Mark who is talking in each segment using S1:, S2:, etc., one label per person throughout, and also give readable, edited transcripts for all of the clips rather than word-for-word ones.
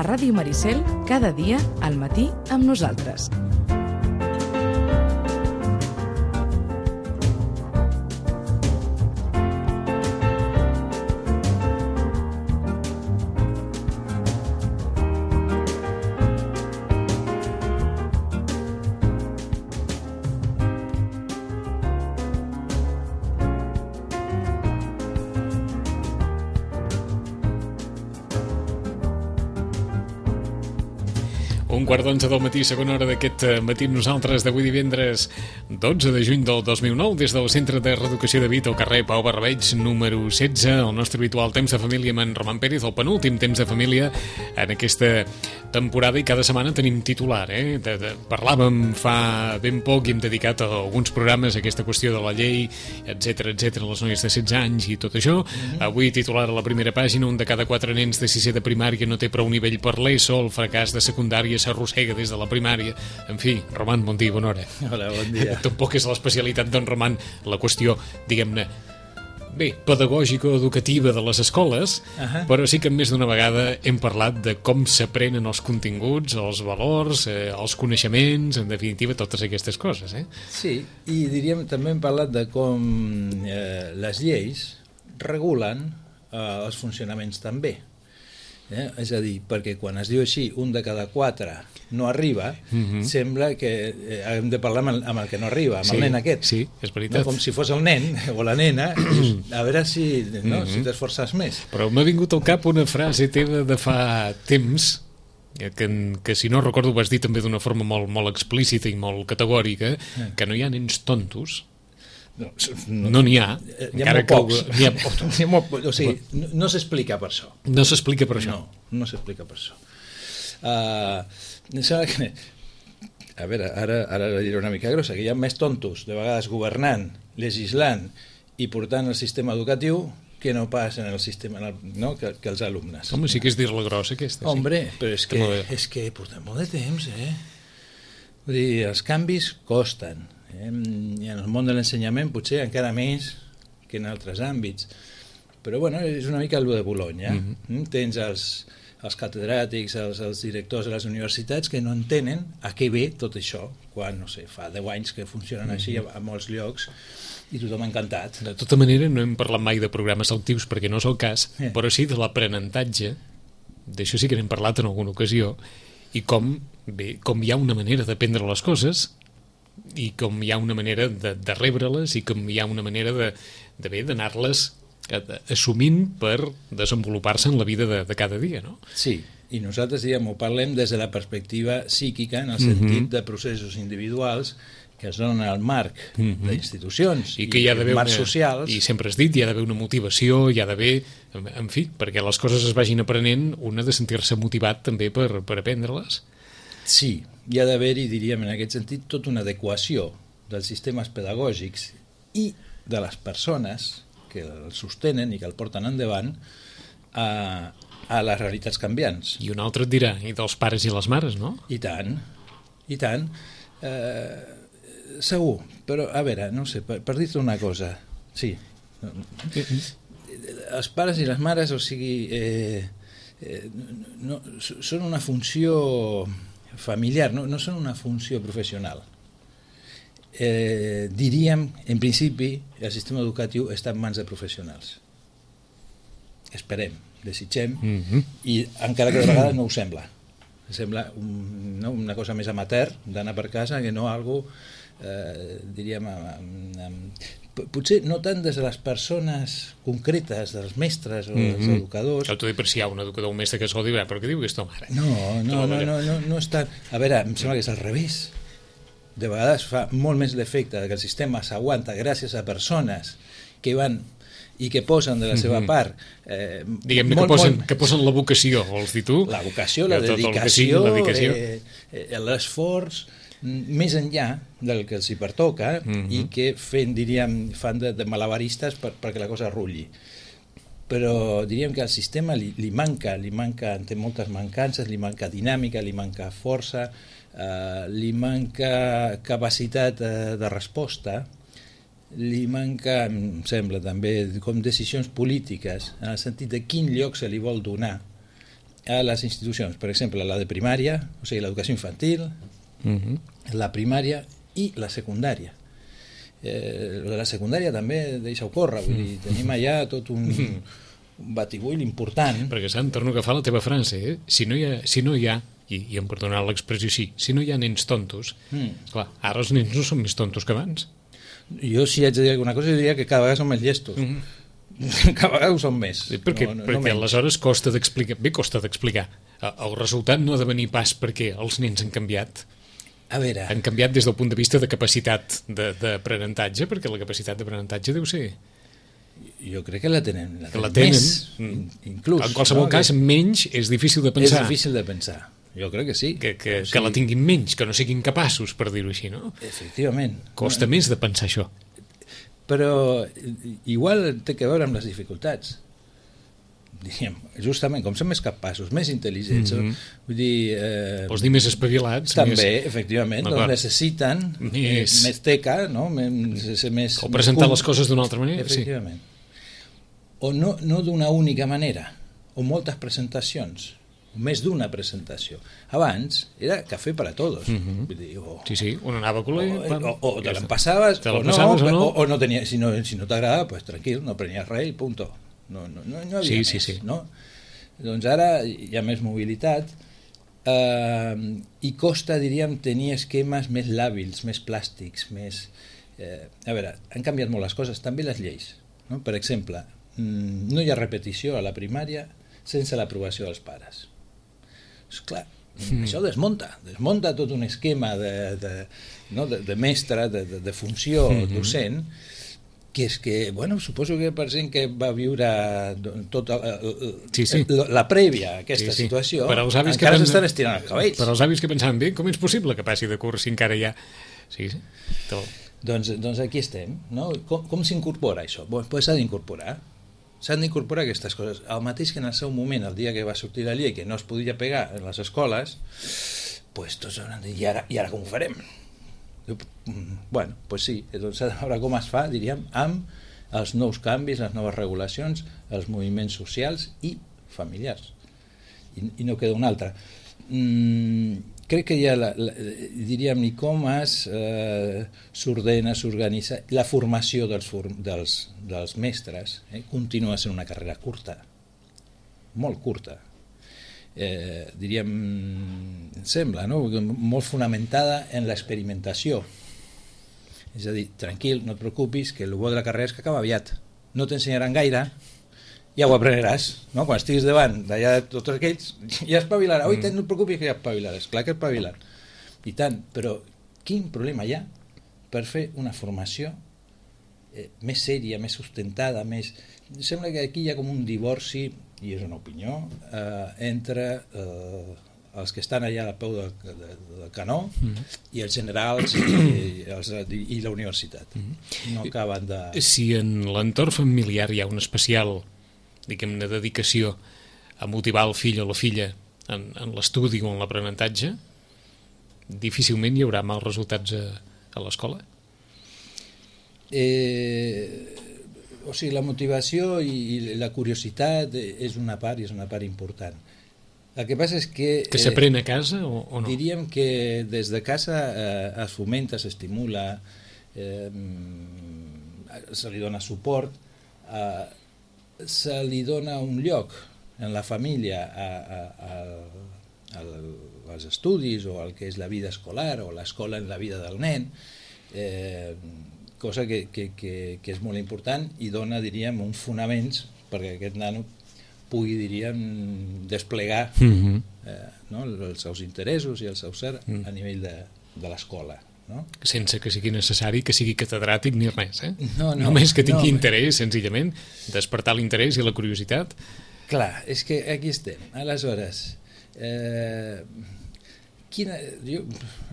S1: a Ràdio Maricel cada dia al matí amb nosaltres.
S2: Un quart d'11 del matí, segona hora d'aquest matí amb nosaltres d'avui divendres 12 de juny del 2009 des del Centre de Reeducació de Vit al carrer Pau Barrabeig número 16, el nostre habitual temps de família amb en Roman Pérez, el penúltim temps de família en aquesta temporada, i cada setmana tenim titular, parlàvem fa ben poc i hem dedicat a alguns programes a aquesta qüestió de la llei, etc, les noies de 16 anys i tot això. Avui titular a la primera pàgina: un de cada 4 nens de 6è de primària no té prou nivell per l'ESO, el fracàs de secundària s'arrossega des de la primària. En fi, Roman, bon dia, bona hora.
S3: Hola, bon dia.
S2: Tampoc és l'especialitat d'en Roman la qüestió, diguem-ne, bé, pedagògica o educativa de les escoles, però sí que més d'una vegada hem parlat de com s'aprenen els continguts, els valors, els coneixements, en definitiva, totes aquestes coses.
S3: Sí, i diríem, també hem parlat de com les lleis regulen els funcionaments també. És a dir, perquè quan es diu així, un de cada 4 no arriba, sembla que hem de parlar amb el que no arriba, amb el nen aquest.
S2: Sí, és veritat.
S3: No? Com si fos el nen o la nena, a veure si t'esforces més.
S2: Però m'ha vingut al cap una frase teva de fa temps, que si no recordo vas dir també d'una forma molt explícita i molt categòrica, que no hi ha nens tontos. No n'hi ha.
S3: Hi ha molt pocs. O sigui, no s'explica per això.
S2: No s'explica per això.
S3: No s'explica per això. Sembla que... A veure, ara la diré una mica grossa, que hi ha més tontos, de vegades governant, legislant i portant el sistema educatiu que no pas en el sistema, no? que els alumnes.
S2: Home, sí que és dir-la grossa, aquesta.
S3: Hombre, però és que portem molt de temps, Vull dir, els canvis costen. I en el món de l'ensenyament potser encara més que en altres àmbits, però bueno, és una mica el de Bologna. Tens els catedràtics, els directors de les universitats que no entenen a què ve tot això, quan, no sé, fa 10 anys que funcionen així a molts llocs i tothom encantat.
S2: De tota manera, no hem parlat mai de programes selectius perquè no és el cas, però sí de l'aprenentatge, d'això sí que n'hem parlat en alguna ocasió, i com hi ha una manera d'aprendre les coses i com hi ha una manera de rebre-les i com hi ha una manera d'anar-les assumint per desenvolupar-se en la vida de cada dia, no?
S3: Sí, i nosaltres, ho parlem des de la perspectiva psíquica, en el sentit de processos individuals que es donen al marc d'institucions i marcs socials.
S2: I sempre has dit, hi ha d'haver una motivació, hi ha d'haver, en fi, perquè les coses es vagin aprenent, un ha de sentir-se motivat també per aprendre-les.
S3: Sí, hi ha d'haver-hi, diríem, en aquest sentit, tota una adequació dels sistemes pedagògics i de les persones que el sostenen i que el porten endavant a les realitats canviants.
S2: I un altre et dirà, i dels pares i les mares, no?
S3: I tant, i tant. Segur, però a veure, no sé, per dir-te una cosa, sí. Els pares i les mares, o sigui, són una funció familiar, no són una funció professional. Diríem, en principi, el sistema educatiu està en mans de professionals. Esperem, desitgem, i encara que de vegades no ho sembla. Sembla una cosa més amateur d'anar per casa que no algo, diríem, potser no tant des de les persones concretes, dels mestres o dels educadors.
S2: T'ho dic per si hi ha un educador o un mestre que es dirà, però què diu aquesta mare?
S3: No és tant. A veure, em sembla que és al revés. De vegades fa molt més l'efecte que el sistema s'aguanta gràcies a persones que van i que posen de la seva part.
S2: Diguem-ne que posen la vocació, vols dir tu?
S3: La vocació, la dedicació, l'esforç, més enllà del que els hi pertoca i que fan de malabaristes perquè la cosa rulli. Però diríem que al sistema li manca, té moltes mancances, li manca dinàmica, li manca força, li manca capacitat de resposta, li manca, em sembla també, com decisions polítiques, en el sentit de quin lloc se li vol donar a les institucions, per exemple, la de primària, o sigui, l'educació infantil, la primària i la secundària. De la secundària també deixa-ho córrer, vull dir, tenim allà tot un batibull important.
S2: Perquè, Sant, torno a agafar la teva frase, si no hi ha i em perdonarà l'expressió així, si no hi ha nens tontos, clar, ara els nens no són més tontos que abans.
S3: Jo, si haig de dir alguna cosa, diria que cada vegada són més llestos. Cada vegada ho són més.
S2: Perquè aleshores costa d'explicar. El resultat no ha de venir pas perquè els nens han canviat.
S3: A veure...
S2: Han canviat des del punt de vista de capacitat d'aprenentatge, perquè la capacitat d'aprenentatge deu ser...
S3: Jo crec que la tenen
S2: més,
S3: inclús.
S2: En qualsevol cas, menys és difícil de pensar.
S3: És difícil de pensar. Jo crec que sí.
S2: Que la tinguin menys, que no siguin capaços, per dir-ho així, no?
S3: Efectivament.
S2: Costa més de pensar això.
S3: Però igual té que veure amb les dificultats. Diríem, justament, com són més capaços, més intel·ligents, vull dir...
S2: Vols dir més espavilats?
S3: També, efectivament, doncs necessiten més teca, no? Més
S2: o presentar les coses d'una altra manera.
S3: Efectivament. O no d'una única manera, o moltes presentacions, o més d'una presentació. Abans era café per a tots. Vull dir,
S2: sí, on anava a col·le...
S3: O te l'empassaves, o no tenia, si no t'agrada, pues tranquil, no prenies res i punto. No havia més. Sí. No? Doncs ara hi ha més mobilitat i costa, diríem, tenir esquemes més làbils, més plàstics, més... A veure, han canviat molt les coses, també les lleis. No? Per exemple, no hi ha repetició a la primària sense l'aprovació dels pares. Esclar, això desmunta tot un esquema de mestre, de funció docent, que és que, bueno, suposo que per gent que va viure tota la prèvia a aquesta situació, encara s'estan estirant els cabells.
S2: Per als avis que pensaven bé, com és possible que passi de curs si encara hi ha... Sí.
S3: Doncs aquí estem, no? Com s'incorpora això? Doncs s'ha d'incorporar. S'han d'incorporar aquestes coses. El mateix que en el seu moment, el dia que va sortir la llei, que no es podia pegar en les escoles, doncs tots hauran de dir, i ara com ho farem? Bueno, doncs sí, doncs s'ha de veure com es fa, diríem, amb els nous canvis, les noves regulacions, els moviments socials i familiars. I no queda un altre. Crec que hi ha, diríem, i com s'ordena, s'organitza la formació dels mestres. Continua sent una carrera curta, molt curta. Diríem, em sembla, no? Molt fonamentada en l'experimentació. És a dir, tranquil, no et preocupis, que el bo de la carrera és que acaba aviat. No t'ensenyaran gaire, ja ho aprenderàs, no? Quan estiguis davant d'allà de tots aquells, ja espavilarà. Oi, no et preocupis que ja espavilaràs. Clar que espavilar. I tant, però quin problema hi ha per fer una formació més sèria, més sustentada, més... Sembla que aquí hi ha com un divorci, i és una opinió, entre els que estan allà al peu del canó i els generals i la universitat. No acaben de...
S2: Si en l'entorn familiar hi ha un especial, diguem-ne, dedicació a motivar el fill o la filla en l'estudi o en l'aprenentatge, difícilment hi haurà mals resultats a l'escola?
S3: O sigui, la motivació i la curiositat és una part important. El que passa és que...
S2: Que s'aprèn a casa o no?
S3: Diríem que des de casa es fomenta, s'estimula, se li dona suport, se li dona un lloc en la família als estudis o al que és la vida escolar o l'escola en la vida del nen, cosa que és molt important i dona, diríem, uns fonaments perquè aquest nano pugui, diríem, desplegar els seus interessos i el seu ser a nivell de l'escola. No?
S2: Sense que sigui necessari que sigui catedràtic ni res,
S3: No,
S2: només que tingui interès, senzillament, despertar l'interès i la curiositat.
S3: Clar, és que aquí estem. Aleshores,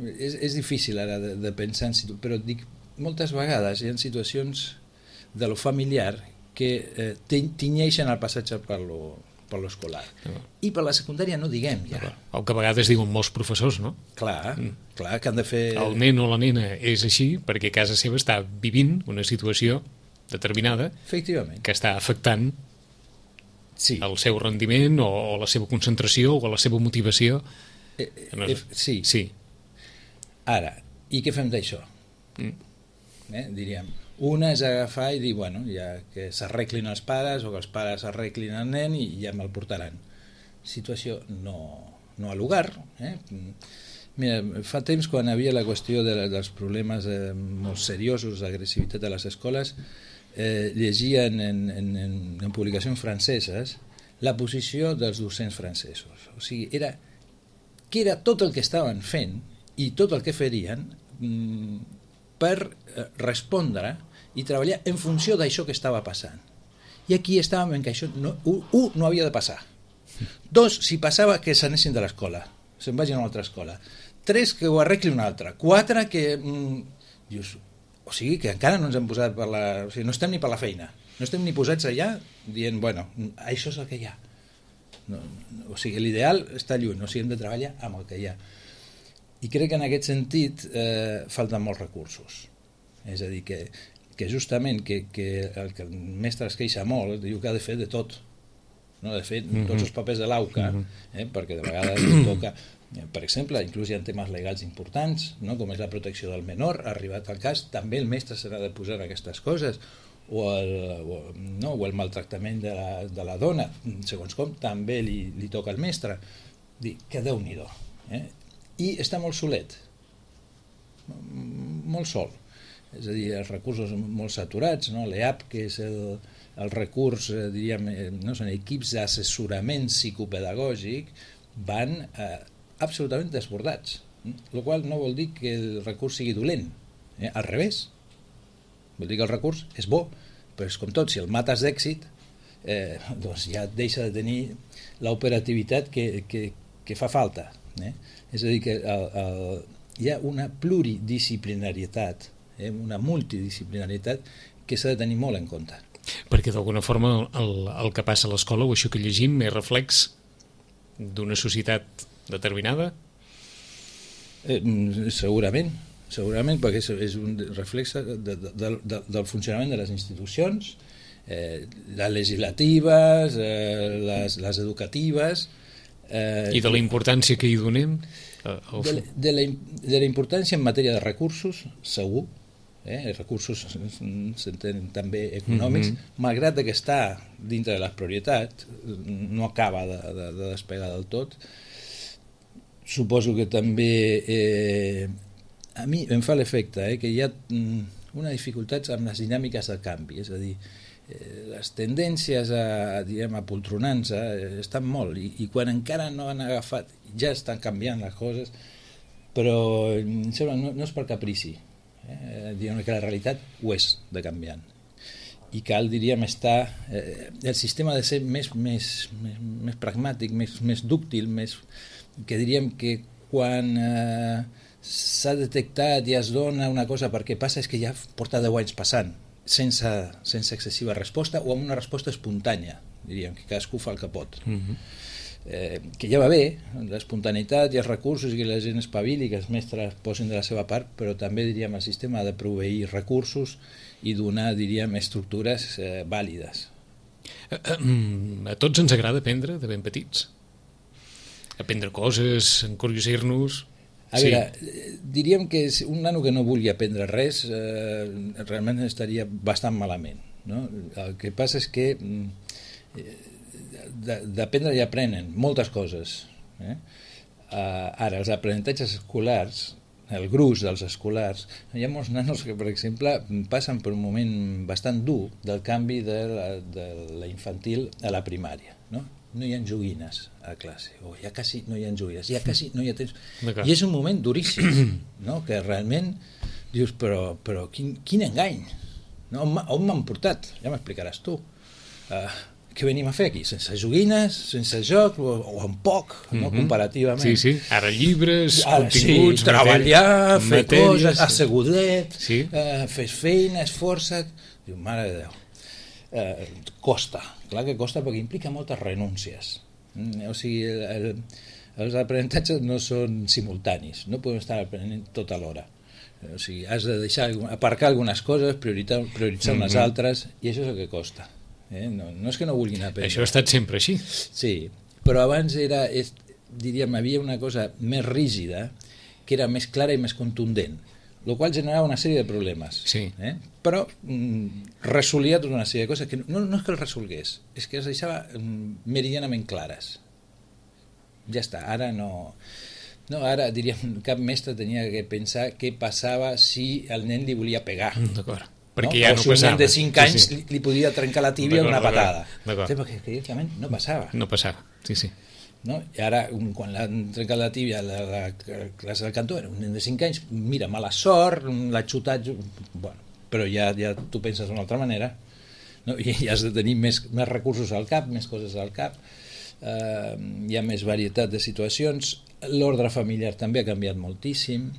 S3: és difícil ara de pensar en però dic, moltes vegades hi ha situacions de lo familiar que tinyeixen el passatge per l'escolar. I per la secundària no diguem ja.
S2: El que a vegades diuen molts professors, no?
S3: Clar, que han de fer...
S2: El nen o la nena és així perquè a casa seva està vivint una situació determinada que està afectant el seu rendiment o la seva concentració o la seva motivació.
S3: Sí. Ara, i què fem d'això? Diríem, una és agafar i dir, bueno, ja que s'arreglin els pares o que els pares arreglin el nen i ja me'l portaran. Situació no al lugar. Mira, fa temps, quan hi havia la qüestió dels problemes molt seriosos d'agressivitat a les escoles, llegia en publicacions franceses la posició dels docents francesos. O sigui, que era tot el que estaven fent i tot el que farien per respondre i treballar en funció d'això que estava passant. I aquí estàvem en que això no havia de passar. 2, si passava, que s'anessin de l'escola, se'n vagin a una altra escola. 3, que ho arregli una altra. 4, que... Dius, o sigui, que encara no ens hem posat per la... O sigui, no estem ni per la feina. No estem ni posats allà dient, bueno, això és el que hi ha. No, o sigui, l'ideal està lluny, o sigui, hem de treballar amb el que hi ha. I crec que en aquest sentit falten molts recursos. És a dir, que justament que el mestre es queixa molt, diu que ha de fer de tot. No? De fet, tots els papers de l'AUCA, perquè de vegades toca, per exemple, inclús hi ha temes legals importants, no? Com és la protecció del menor, ha arribat al cas, també el mestre s'ha de posar aquestes coses, o el maltractament de la dona, segons com, també li toca al mestre. Dir, que Déu-n'hi-do. I està molt solet, molt sol. És a dir, els recursos molt saturats, no? L'EAP, que és el recurs, diríem, no? Són equips d'assessorament psicopedagògic, van absolutament desbordats, el qual no vol dir que el recurs sigui dolent, al revés, vol dir que el recurs és bo, però és com tot, si el mates d'èxit, doncs ja deixa de tenir l'operativitat que fa falta. És a dir, que hi ha una pluridisciplinarietat, una multidisciplinarietat que s'ha de tenir molt en compte.
S2: Perquè d'alguna forma el que passa a l'escola o això que llegim és reflex d'una societat determinada?
S3: Segurament, perquè és un reflex del funcionament de les institucions, les legislatives, les educatives...
S2: I de la importància que hi donem?
S3: De la importància en matèria de recursos, segur. Recursos s'entenen també econòmics, malgrat que està dintre de les prioritats, no acaba de despegar del tot. Suposo que també a mi em fa l'efecte que hi ha una dificultat amb les dinàmiques del canvi, és a dir, les tendències a poltronar-se estan molt, i quan encara no han agafat ja estan canviant les coses, però em sembla no és per caprici, diguem que la realitat ho és de canviant, i cal, diríem, estar el sistema ha de ser més pragmàtic, més dúctil, que diríem que quan s'ha detectat i es dona una cosa perquè passa, és que ja porta 10 anys passant sense excessiva resposta, o amb una resposta espontània, diríem, que cadascú fa el que pot. Que ja va bé, l'espontaneïtat i els recursos, i que la gent espavili, que els mestres posin de la seva part, però també, diríem, el sistema ha de proveir recursos i donar, diríem, estructures vàlides.
S2: A tots ens agrada aprendre de ben petits? Aprendre coses, encuriosir-nos...
S3: A veure, diríem que un nano que no vulgui aprendre res realment estaria bastant malament, no? El que passa és que d'aprendre ja aprenen moltes coses. Ara, els aprenentatges escolars, el gruix dels escolars, hi ha molts nanos que, per exemple, passen per un moment bastant dur del canvi de la infantil a la primària, no? No hi ha joguines a classe, o ja quasi no hi ha joguines, ja quasi no hi ha temps. I és un moment duríssim, no? Que realment dius, però quin engany, no? On m'han portat? Ja m'explicaràs tu. Què venim a fer aquí? Sense joguines, sense joc, o amb poc, no? Comparativament.
S2: Sí, ara llibres, continguts...
S3: Sí, treballar, fer coses, assegudet, fes feina, esforça't... Diu, mare de Déu. Costa, clar que costa, perquè implica moltes renúncies. O sigui, els aprenentatges no són simultanis, no podem estar aprenent tot alhora. O sigui, has de aparcar algunes coses, prioritzar unes altres, i això és el que costa. No és que no vulguin aprendre.
S2: Això ha estat sempre així.
S3: Sí, però abans diríem, havia una cosa més rígida, que era més clara i més contundent, el qual generava una sèrie de problemes.
S2: Sí.
S3: Però resolia tota una sèrie de coses que no és que el resolgués, és que es deixava meridianament clares. Ja està, ara no... No, ara, diríem, cap mestre tenia que pensar què passava si el nen li volia pegar.
S2: D'acord. Perquè ja no
S3: passava. O si un nen de 5 anys
S2: sí.
S3: li podia trencar la tíbia d'una patada.
S2: D'acord.
S3: Sí, perquè directament no passava.
S2: No passava, sí.
S3: No? I ara, quan l'han trencat la tíbia a la classe del cantó, era un nen de 5 anys, mira, mala sort, l'ha xutat... Bueno, però ja tu penses d'una altra manera, no? I has de tenir més recursos al cap, més coses al cap, hi ha més varietat de situacions, l'ordre familiar també ha canviat moltíssim.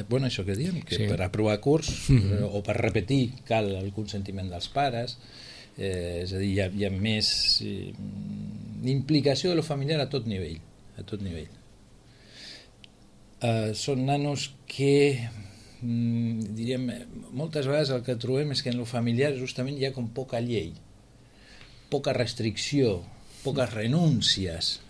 S3: Bueno, això que diem, que per aprovar curs o per repetir cal el consentiment dels pares, és a dir, hi ha més implicació de lo familiar a tot nivell, són nanos que diríem, moltes vegades el que trobem és que en lo familiar justament hi ha com poca llei, poca restricció, poques renúncies,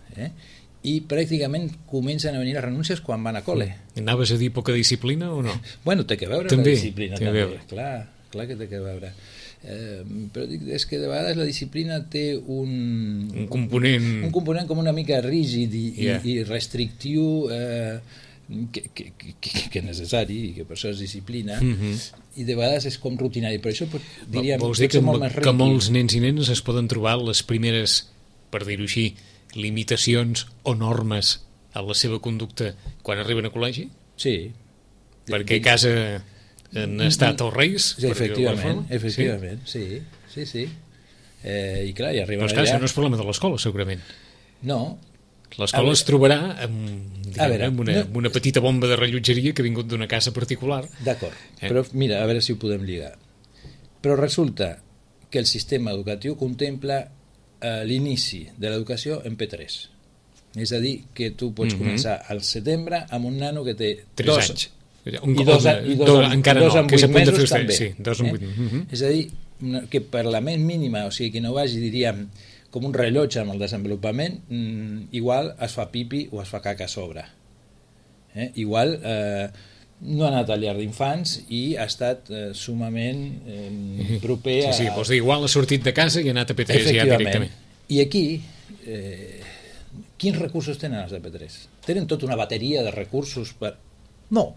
S3: i pràcticament comencen a venir les renúncies quan van a col·le.
S2: Anaves a dir poca disciplina o no?
S3: Bueno, té que veure
S2: també,
S3: la disciplina també. Clar que té que veure. Però dic, és que de vegades la disciplina té un component com una mica rígid i restrictiu que és necessari i que per això és disciplina, i de vegades és com rutinari, però això diríem
S2: vols dir que molts nens i nenes es poden trobar les primeres, per dir-ho així, limitacions o normes a la seva conducta quan arriben a col·legi?
S3: Sí.
S2: Perquè a casa han estat els reis?
S3: Efectivament, sí. I clar, i arriben allà...
S2: Però això no és problema de l'escola, segurament.
S3: No.
S2: L'escola es trobarà amb una petita bomba de rellotgeria que ha vingut d'una casa particular.
S3: D'acord, però mira, a veure si ho podem lligar. Però resulta que el sistema educatiu contempla l'inici de l'educació en P3. És a dir, que tu pots començar al setembre amb un nano que té
S2: 3 anys.
S3: Encara no, que s'ha punt de fer també.
S2: Sí, 2 en 8.
S3: És a dir, que per la més mínima, o sigui, que no vagi, diríem, com un rellotge amb el desenvolupament, igual es fa pipi o es fa caca a sobre. Igual no ha anat al llar d'infants i ha estat sumament proper a...
S2: Sí, vols dir, igual ha sortit de casa i ha anat a P3 ja directament.
S3: I aquí, quins recursos tenen els de P3? Tenen tota una bateria de recursos per... No,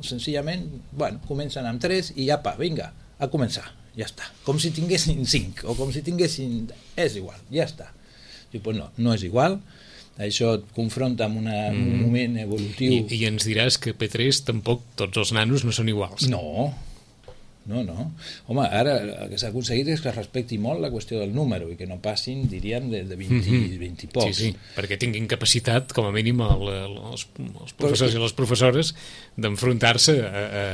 S3: senzillament, bueno, comencen amb 3 i apa, vinga, a començar, ja està. Com si tinguessin 5, o com si tinguessin... És igual, ja està. Diu, pues no és igual. Això et confronta amb un moment evolutiu...
S2: I ens diràs que P3 tampoc tots els nanos no són iguals.
S3: No. Home, ara el que s'ha aconseguit és que es respecti molt la qüestió del número i que no passin, diríem, de 20 i pocs.
S2: Sí, perquè tinguin capacitat, com a mínim, els professors i les professores d'enfrontar-se a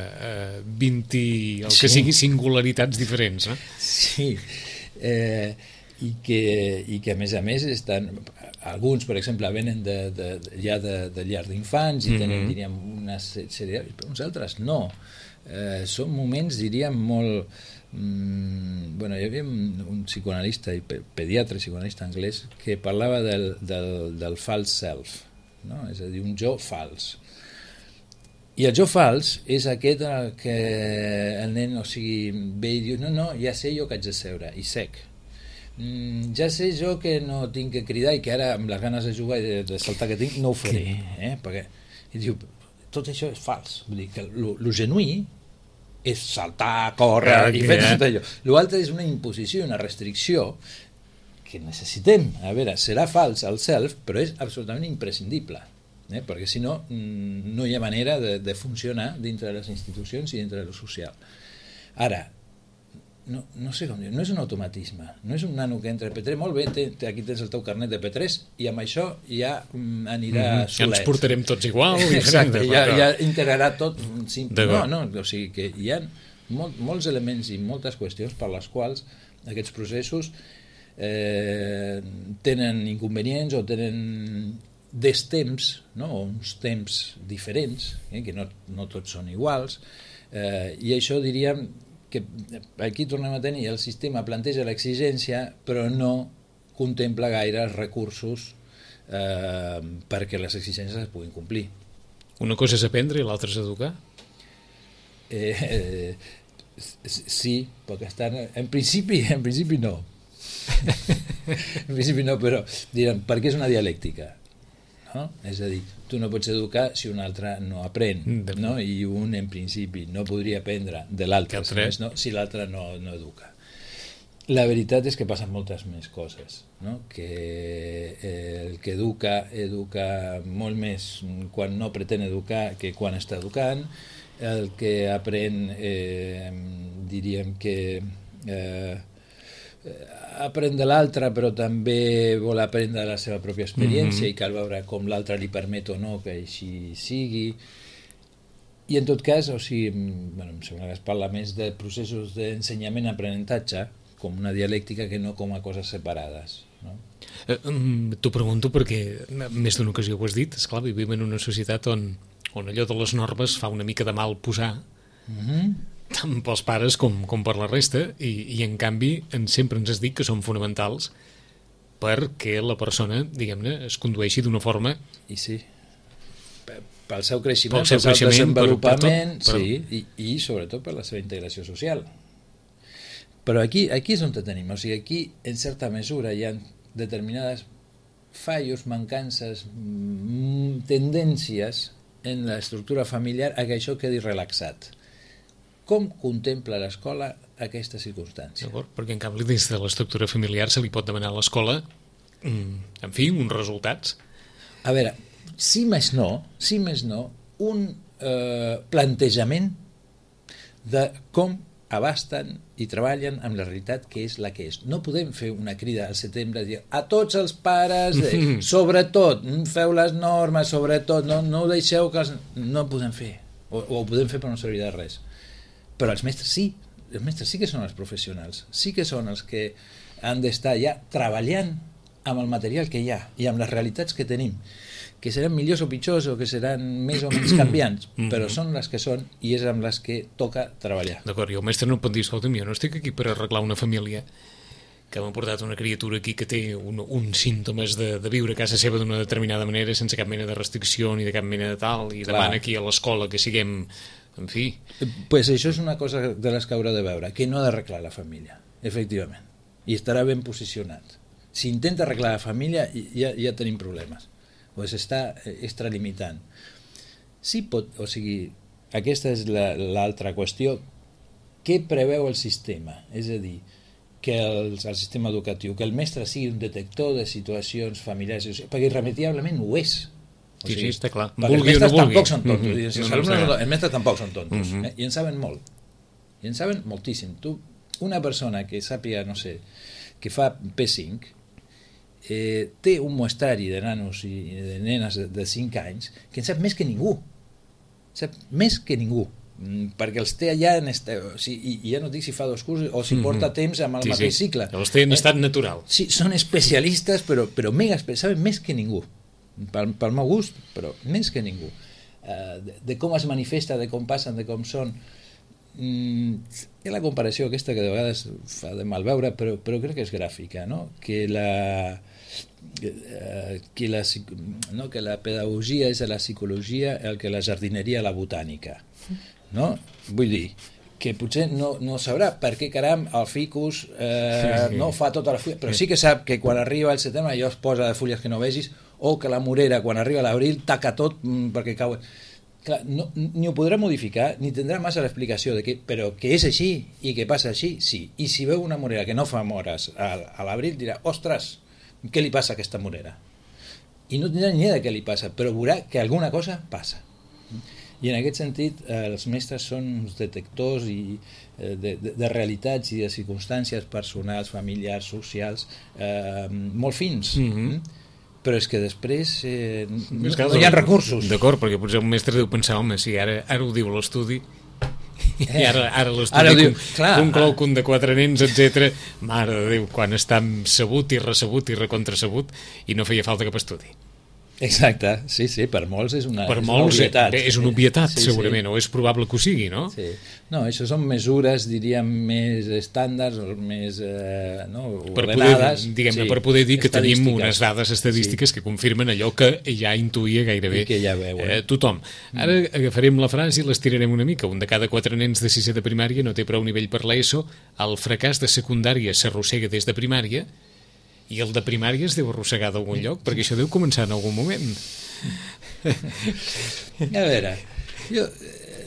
S2: 20, el que sigui, singularitats diferents.
S3: Sí, i que a més estan... Alguns, per exemple, venen ja de llar d'infants i tenen, diríem, una sèrie... Uns altres no. Són moments, diríem, molt... Bueno, hi havia un psicoanalista i pediatre psicoanalista anglès que parlava del false self, no? És a dir, un jo fals. I el jo fals és aquest en el que el nen, o sigui, ve i diu no, ja sé jo que haig de seure, i sec. Ja sé jo que no tinc que cridar i que ara amb les ganes de jugar i de saltar que tinc no ho faré, perquè i diu, tot això és fals, vull dir que lo genuí és saltar, córrer i fer tot allò. L'altre és una imposició, una restricció que necessitem. A veure, serà fals el self, però és absolutament imprescindible, perquè si no no hi ha manera de funcionar dintre de les institucions i dintre de lo social. Ara, no sé com dir, no és un automatisme, no és un nano que entra a P3, molt bé, aquí tens el teu carnet de P3 i amb això ja anirà solet.
S2: Ens portarem tots igual.
S3: Exacte, ja integrarà tot. No, o sigui que hi ha molts elements i moltes qüestions per les quals aquests processos tenen inconvenients o tenen destemps, o uns temps diferents, que no tots són iguals, i això diríem que aquí tornem a tenir, el sistema planteja l'exigència però no contempla gaire els recursos perquè les exigències es puguin complir.
S2: Una cosa és aprendre i l'altra és educar?
S3: Sí, perquè en principi no. En principi no, però diran, perquè és una dialèctica. No? És a dir, tu no pots educar si un altre no aprèn, no? I un en principi no podria aprendre de l'altre si l'altre no educa. La veritat és que passen moltes més coses, no? Que el que educa molt més quan no pretén educar que quan està educant. El que aprèn diríem que aprèn de l'altre però també vol aprendre la seva pròpia experiència i cal veure com l'altre li permet o no que així sigui. I en tot cas, o sigui, em sembla que es parla més de processos d'ensenyament-aprenentatge com una dialèctica que no com a coses separades, no?
S2: T'ho pregunto perquè més d'una ocasió ho has dit, esclar, vivim en una societat on allò de les normes fa una mica de mal posar tant pels pares com per la resta i en canvi sempre ens has dit que són fonamentals perquè la persona, diguem-ne, es condueixi d'una forma...
S3: I sí, pel seu creixement, pel seu desenvolupament, sí, i sobretot per la seva integració social. Però aquí és on tenim, o sigui, aquí en certa mesura hi ha determinades fallos, mancances, tendències en l'estructura familiar a que això quedi relaxat. Com contempla l'escola aquesta circumstància?
S2: D'acord, perquè en canvi dins de l'estructura familiar se li pot demanar a l'escola, en fi, uns resultats.
S3: A veure, si més no, un plantejament de com abasten i treballen amb la realitat que és la que és. No podem fer una crida al setembre i dir a tots els pares, sobretot, feu les normes, sobretot, no ho deixeu que... No ho podem fer, o ho podem fer però no servirà de res. Però els mestres sí que són els professionals, sí que són els que han d'estar ja treballant amb el material que hi ha i amb les realitats que tenim, que seran millors o pitjors o que seran més o menys canviants, però són les que són i és amb les que toca treballar.
S2: D'acord, i el mestre no pot dir, escolta, jo no estic aquí per arreglar una família que m'ha portat una criatura aquí que té uns símptomes de viure a casa seva d'una determinada manera sense cap mena de restricció ni de cap mena de tal i demana aquí a l'escola que siguem, en fi...
S3: Pues això és una cosa de les que haurà de veure, que no ha d'arreglar la família, efectivament, i estarà ben posicionat. Si intenta arreglar la família ja tenim problemes, o s'està extralimitant. Sí pot, o sigui, aquesta és l'altra qüestió. Què preveu el sistema? És a dir, que el sistema educatiu, que el mestre sigui un detector de situacions familiars, perquè irremediablement ho és.
S2: O sigui, sí, està clar.
S3: Perquè els mestres tampoc són tontos. Els mestres tampoc són tontos. I en saben molt. I en saben moltíssim. Una persona que sàpiga, no sé, que fa P5, té un muestrari de nanos i de nenes de 5 anys que en sap més que ningú, perquè els té allà i ja no dic si fa 2 cursos o si porta temps amb el mateix cicle,
S2: els té en estat natural.
S3: Sí, són especialistes però saben més que ningú, pel meu gust, però més que ningú, de com es manifesta, de com passen, de com són. Hi ha la comparació aquesta que de vegades fa de mal veure, però crec que és gràfica, no? Que la pedagogia és a la psicologia el que la jardineria a la botànica, no? Vull dir que potser no sabrà per què caram el ficus no fa tota la fulla, però sí que sap que quan arriba el setembre allò es posa de fulles que no vegis, o que la morera quan arriba l'abril taca tot perquè cau. Clar, ni ho podrà modificar ni tindrà massa l'explicació de però que és així i que passa així, sí. I si veu una morera que no fa mores a l'abril dirà, ostres, què li passa a aquesta morera? I no tindrà ni idea de què li passa, però veurà que alguna cosa passa. I en aquest sentit els mestres són uns detectors de realitats i de circumstàncies personals, familiars, socials molt fins. Però és que després no hi ha recursos.
S2: D'acord, perquè potser un mestre deu pensar, home, si ara ho diu l'estudi i ara l'estudi conclou que un de 4 nens, etc. Mare de Déu, quan està sabut i recebut i recontrasabut i no feia falta cap estudi.
S3: Exacte, sí, per molts és una
S2: obvietat. És una obvietat,
S3: sí,
S2: segurament, o és probable que ho sigui, no?
S3: Sí. No, això són mesures, diríem, més estàndards, o més ordenades.
S2: Per poder dir que tenim unes dades estadístiques que confirmen allò que ja intuïa gairebé
S3: que ja veuen.
S2: Tothom. Ara agafarem la frase i l'estirarem una mica. Un de cada 4 nens de 6è de primària no té prou nivell per l'ESO, el fracàs de secundària s'arrossega des de primària, i el de primària es deu arrossegar d'algun lloc, perquè això deu començar en algun moment.
S3: A veure,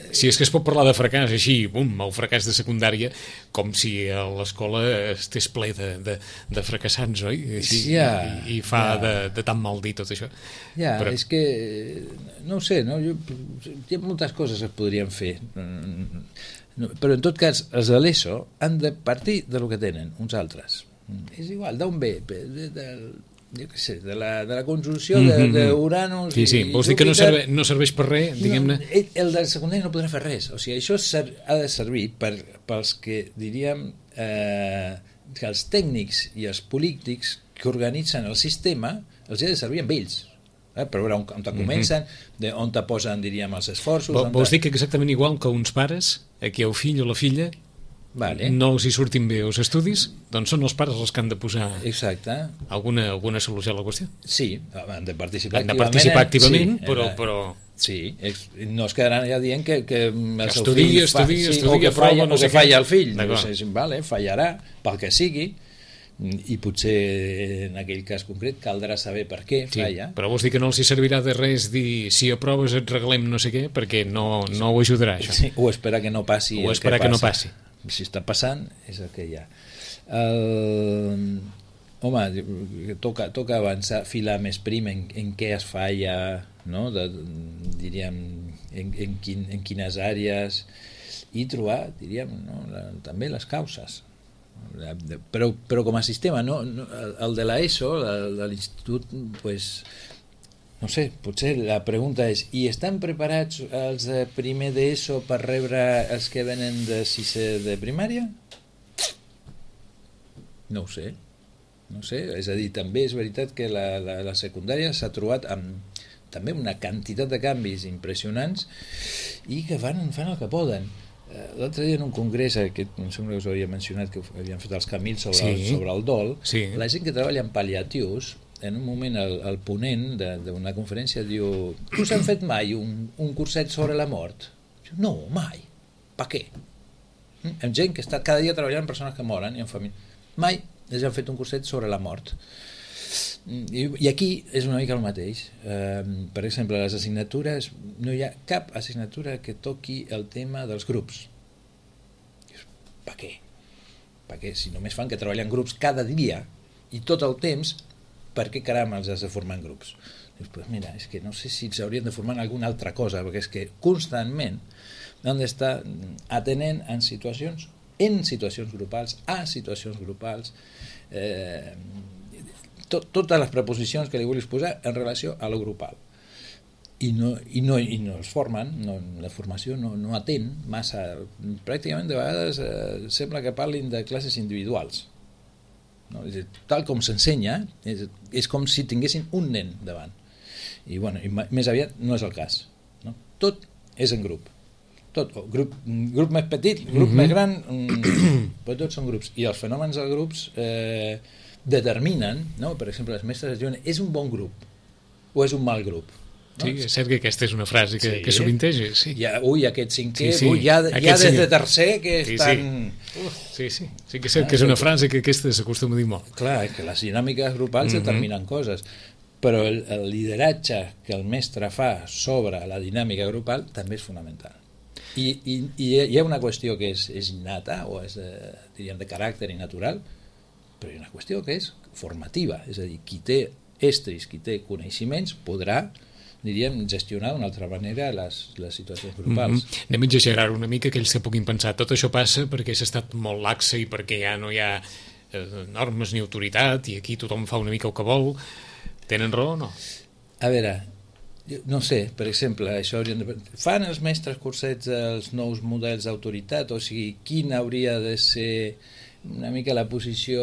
S2: si és que es pot parlar de fracàs així, el fracàs de secundària, com si a l'escola estés ple de fracassants, oi? Així, i fa de tan mal dir tot això.
S3: Però és que, no ho sé, hi ha moltes coses que es podrien fer, però en tot cas els de l'ESO han de partir de lo que tenen uns altres. És igual, d'on ve? Jo què sé, de la conjunció d'Uranus i
S2: Júpiter. Vols dir que no serveix per res, diguem-ne?
S3: El del secundari no podrà fer res. O sigui, això ha de servir pels que, diríem, que els tècnics i els polítics que organitzen el sistema els ha de servir amb ells. Per veure on comencen, on te posen, diríem, els esforços.
S2: Vols dir que exactament igual que uns pares, aquí el fill o la filla, no els hi surtin bé els estudis, doncs són els pares els que han de posar alguna solució a la qüestió.
S3: Sí, han de participar
S2: activament, però...
S3: Sí, no es quedaran ja dient que el seu
S2: fill
S3: falla el fill. Fallarà pel que sigui, i potser en aquell cas concret caldrà saber per què falla.
S2: Però vols dir que no els hi servirà de res dir si aproves et regalem no sé què, perquè no ho ajudarà, això.
S3: Sí, o esperar que no passi
S2: el que passa.
S3: Si està passant, és el que hi ha. Home, toca avançar, filar més prim en què es falla, no? Diríem, en quines àrees, i trobar, diríem, també les causes. Però com a sistema, el de l'ESO, de l'institut, pues, no sé, potser la pregunta és, i estan preparats els de primer d'ESO per rebre els que venen de 6è de primària? No ho sé, és a dir, també és veritat que la secundària s'ha trobat amb també una quantitat de canvis impressionants i que fan el que poden. L'altre dia en un congrés, que em sembla que us havia mencionat, que havien fet els Camils sobre el dol, la gent que treballa en pal·liatius, en un moment el ponent d'una conferència diu: us han fet mai un curset sobre la mort? No, mai. Per què? Amb gent que està cada dia treballant amb persones que moren i en família. Mai ells han fet un curset sobre la mort. I aquí és una mica el mateix. Per exemple, les assignatures, no hi ha cap assignatura que toqui el tema dels grups. Per què? Perquè si només fan que treballen en grups cada dia i tot el temps, per què caram els has de formar en grups? Pues mira, és que no sé si s'haurien de formar en alguna altra cosa, perquè és que constantment han d'estar atenent en situacions grupals, totes les preposicions que li vulguis posar en relació a lo grupal. I no es formen, la formació no atén massa, pràcticament de vegades sembla que parlin de classes individuals. No? Tal com s'ensenya, és com si tinguessin un nen davant. I més aviat no és el cas. No? Tot és en grup. Tot, grup més petit, grup més gran, però tots són grups. I els fenòmens dels grups determinen, no? Per exemple, les mestres es diuen: és un bon grup o és un mal grup? No?
S2: Sí, és cert que aquesta és una frase que sovinteja. Sí.
S3: Aquest cinquè, ja des de tercer que estan...
S2: Sí que és cert que és una frase que aquesta s'acostuma a dir molt.
S3: Clar, que les dinàmiques grupals determinen coses, però el lideratge que el mestre fa sobre la dinàmica grupal també és fonamental. I hi ha una qüestió que és innata, o és, diríem, de caràcter i natural, però hi ha una qüestió que és formativa, és a dir, qui té estris, qui té coneixements, podrà, diríem, gestionar d'una altra manera les situacions grupals.
S2: Anem a exagerar una mica, aquells que puguin pensar tot això passa perquè s'ha estat molt laxa i perquè ja no hi ha normes ni autoritat i aquí tothom fa una mica el que vol. Tenen raó o no?
S3: A veure, no sé, per exemple, això fan els mestres cursets els nous models d'autoritat? O sigui, quina hauria de ser una mica la posició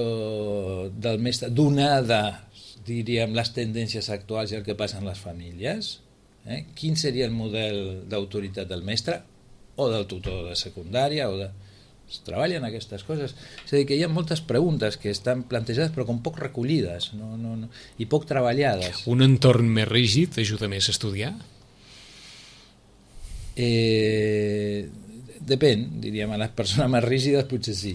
S3: del mestre donada diríem, les tendències actuals i el que passa en les famílies, quin seria el model d'autoritat del mestre o del tutor de secundària es treballen aquestes coses. És a dir, que hi ha moltes preguntes que estan plantejades però com poc recollides i poc treballades.
S2: Un entorn més rígid ajuda més a estudiar?
S3: Depèn, diríem, a les persones més rígides potser sí.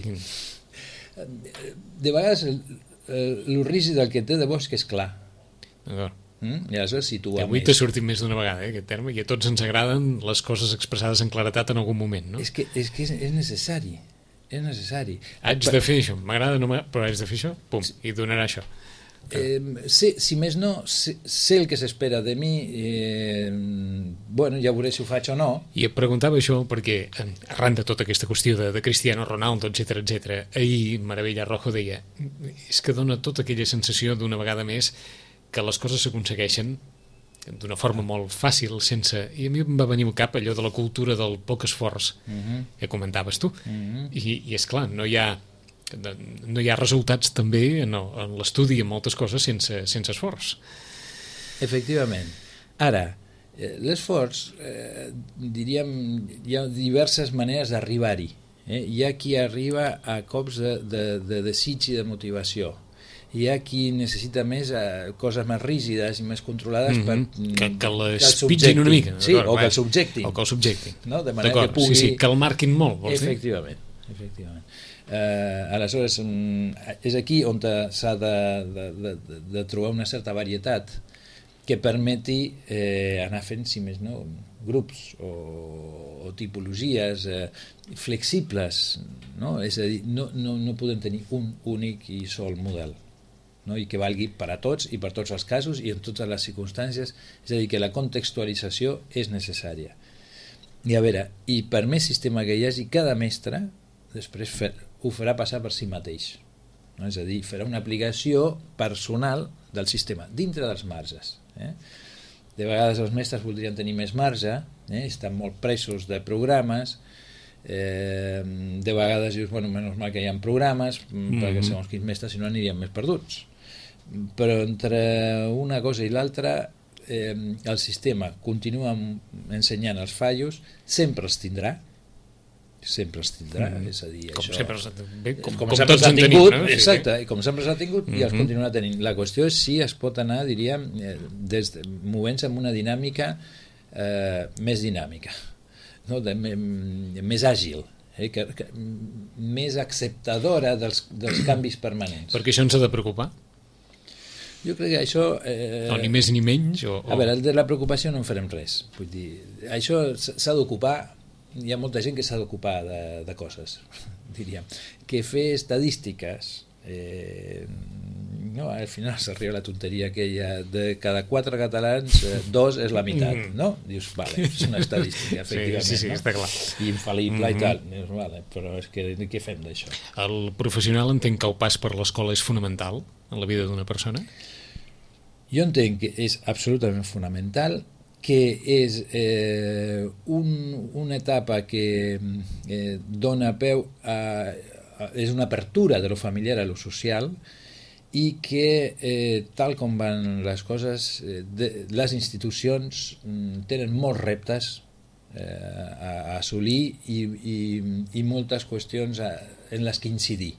S3: De vegades el rígid el que té de bo és que és clar.
S2: D'acord.
S3: I aleshores situa
S2: avui
S3: més.
S2: t'ha sortit més d'una vegada, aquest terme, i a tots ens agraden les coses expressades en claretat en algun moment, no?
S3: És que és necessari. És necessari.
S2: Haig de fer això, m'agrada, no m'agrada, però haig de fer això, pum, i donarà això.
S3: Si més no, sé el que s'espera de mi, bueno, ja veuré si ho faig o no.
S2: I et preguntava això perquè, arran de tota aquesta qüestió de Cristiano Ronaldo, etc, ahir Maravilla Rojo deia, és que dona tota aquella sensació d'una vegada més que les coses s'aconsegueixen d'una forma molt fàcil, sense... I a mi em va venir al cap allò de la cultura del poc esforç que comentaves tu. I és clar, no hi ha resultats també en l'estudi en moltes coses sense esforç.
S3: Efectivament. Ara, l'esforç, diríem, hi ha diverses maneres d'arribar-hi. Hi ha qui arriba a cops de desig i de motivació. Hi ha qui necessita més coses més rígides i més controlades
S2: que les pitgin una mica.
S3: Sí, o que el subjectin.
S2: O que el subjectin.
S3: No? De manera que pugui...
S2: Sí, que el marquin molt, vols dir?
S3: Efectivament. Aleshores, és aquí on s'ha de trobar una certa varietat que permeti anar fent, si més no, grups o tipologies flexibles, no? És a dir, no podem tenir un únic i sol model, no? I que valgui per a tots i per tots els casos i en totes les circumstàncies, és a dir, que la contextualització és necessària. I a veure, i per més sistema que hi hagi, cada mestre després ho farà passar per si mateix, no? És a dir, farà una aplicació personal del sistema, dintre dels marges. De vegades els mestres voldrien tenir més marge, estan molt presos de programes, de vegades dius, bueno, menys mal que hi ha programes, perquè segons quins mestres si no anirien més perduts. Però entre una cosa i l'altra el sistema continua ensenyant els fallos, sempre els tindrà, és a dir,
S2: com
S3: això,
S2: sempre,
S3: com sempre s'ha tingut, no? Exacte,
S2: sí.
S3: I com sempre s'ha tingut i els continuarà tenint. La qüestió és si es pot anar, diríem, movent-se en una dinàmica més dinàmica, no? Més àgil, més acceptadora dels canvis permanents.
S2: Perquè això ens ha de preocupar?
S3: Jo crec que això...
S2: No, ni més ni menys?
S3: A veure, de la preocupació no en farem res. Vull dir, això s'ha d'ocupar, hi ha molta gent que s'ha d'ocupar de coses, diríem. Que fer estadístiques, no, al final s'arriba a la tonteria aquella de cada 4 catalans, 2 és la meitat, no? Dius, vale, és una estadística, efectivament.
S2: Sí,
S3: no?
S2: està clar.
S3: I infal·lible i tal. Dius, vale, però és que què fem d'això?
S2: El professional entén que el pas per l'escola és fonamental en la vida d'una persona?
S3: Jo entenc que és absolutament fonamental, que és una etapa que dona peu és una apertura de lo familiar a lo social i que tal com van les coses les institucions tenen molts reptes a assolir i moltes qüestions en les que incidir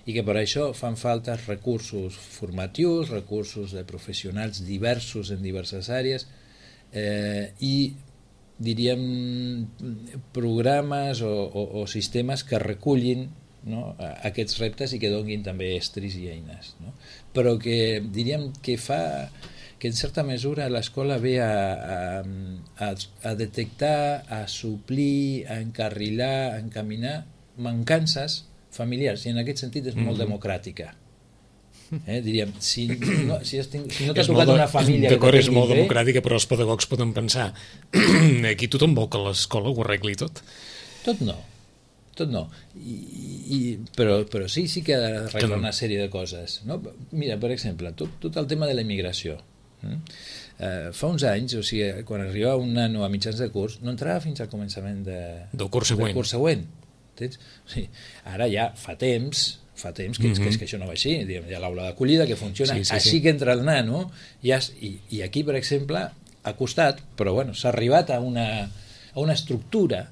S3: i que per això fan falta recursos formatius, recursos de professionals diversos en diverses àrees i diríem programes o sistemes que recullin, no, aquests reptes i que donin també estris i eines, no? Però que diríem que fa que en certa mesura l'escola ve a detectar, a suplir, a encarrilar, a encaminar mancances familiars i en aquest sentit és molt democràtica. Diríem, si no t'ha tocat una família
S2: d'acord, és molt democràtica, però els pedagogs poden pensar aquí tothom vol que l'escola ho arregli tot.
S3: Tot no però sí que ha d'arreglar una sèrie de coses, no? Mira, per exemple, tot el tema de la immigració, fa uns anys, o sigui, quan arribava un nano a mitjans de curs no entrava fins al començament del curs següent. O sigui, ara ja fa temps fa temps que això no va així. Hi ha l'aula d'acollida que funciona, així que entra el nano, i aquí, per exemple, ha costat, però bueno, s'ha arribat a una estructura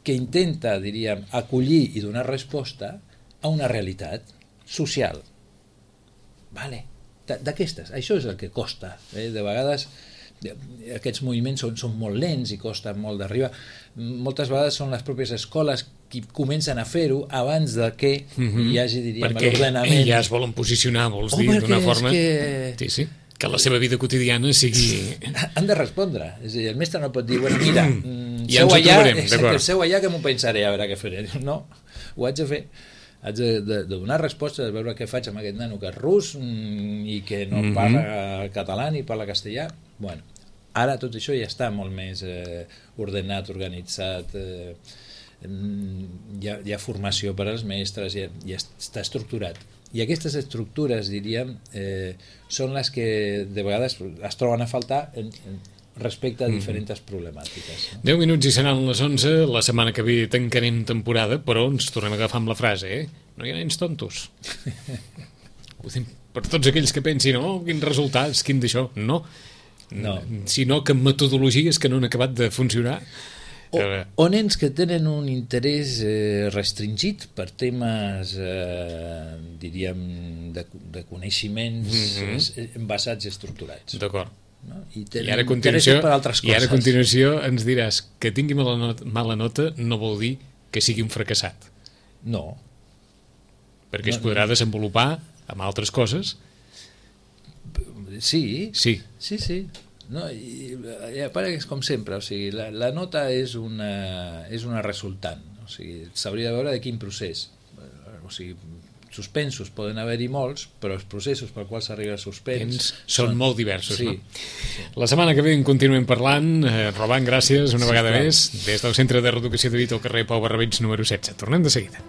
S3: que intenta, diríem, acollir i donar resposta a una realitat social. Vale. D'aquestes, això és el que costa. De vegades aquests moviments són molt lents i costen molt d'arribar. Moltes vegades són les pròpies escoles qui comencen a fer-ho abans de que hi hagi, diríem, l'ordenament.
S2: Perquè ja es volen posicionar, vols dir, d'una forma... Sí, que la seva vida quotidiana sigui...
S3: Han de respondre. És a dir, el mestre no pot dir, bueno, mira,
S2: ja ens ho trobarem, d'acord.
S3: Seu allà que m'ho pensaré, a veure què faré. No, ho haig de fer. Haig de donar resposta, de veure què faig amb aquest nano que és rus i que no parla català ni parla castellà. Bueno, ara tot això ja està molt més ordenat, organitzat, hi ha formació per als mestres, ja està estructurat. I aquestes estructures, diríem, són les que de vegades es troben a faltar respecte a diferents problemàtiques.
S2: 10 minuts i seran les 11, la setmana que ve tancarem temporada, però ens tornem a agafar amb la frase, no hi ha nens tontos. Per tots aquells que pensin, quins resultats, quin d'això, no. Sinó que metodologies que no han acabat de funcionar.
S3: O nens que tenen un interès restringit per temes, diríem, de coneixements basats i estructurats.
S2: D'acord.
S3: I ara a
S2: continuació ens diràs que tingui mala nota no vol dir que sigui un fracassat.
S3: No.
S2: Perquè es podrà desenvolupar amb altres coses.
S3: Sí. No, a part és com sempre, o sigui, la nota és una resultant, o sigui, s'hauria de veure de quin procés, o sigui, suspensos poden haver-hi molts, però els processos per quals s'arriba a suspens
S2: són molt diversos, no? La setmana que ve en continuem parlant. Roban, gràcies una vegada més des del Centre de Reeducació de Vic al carrer Pau Barrabeig número 16. Tornem de seguida.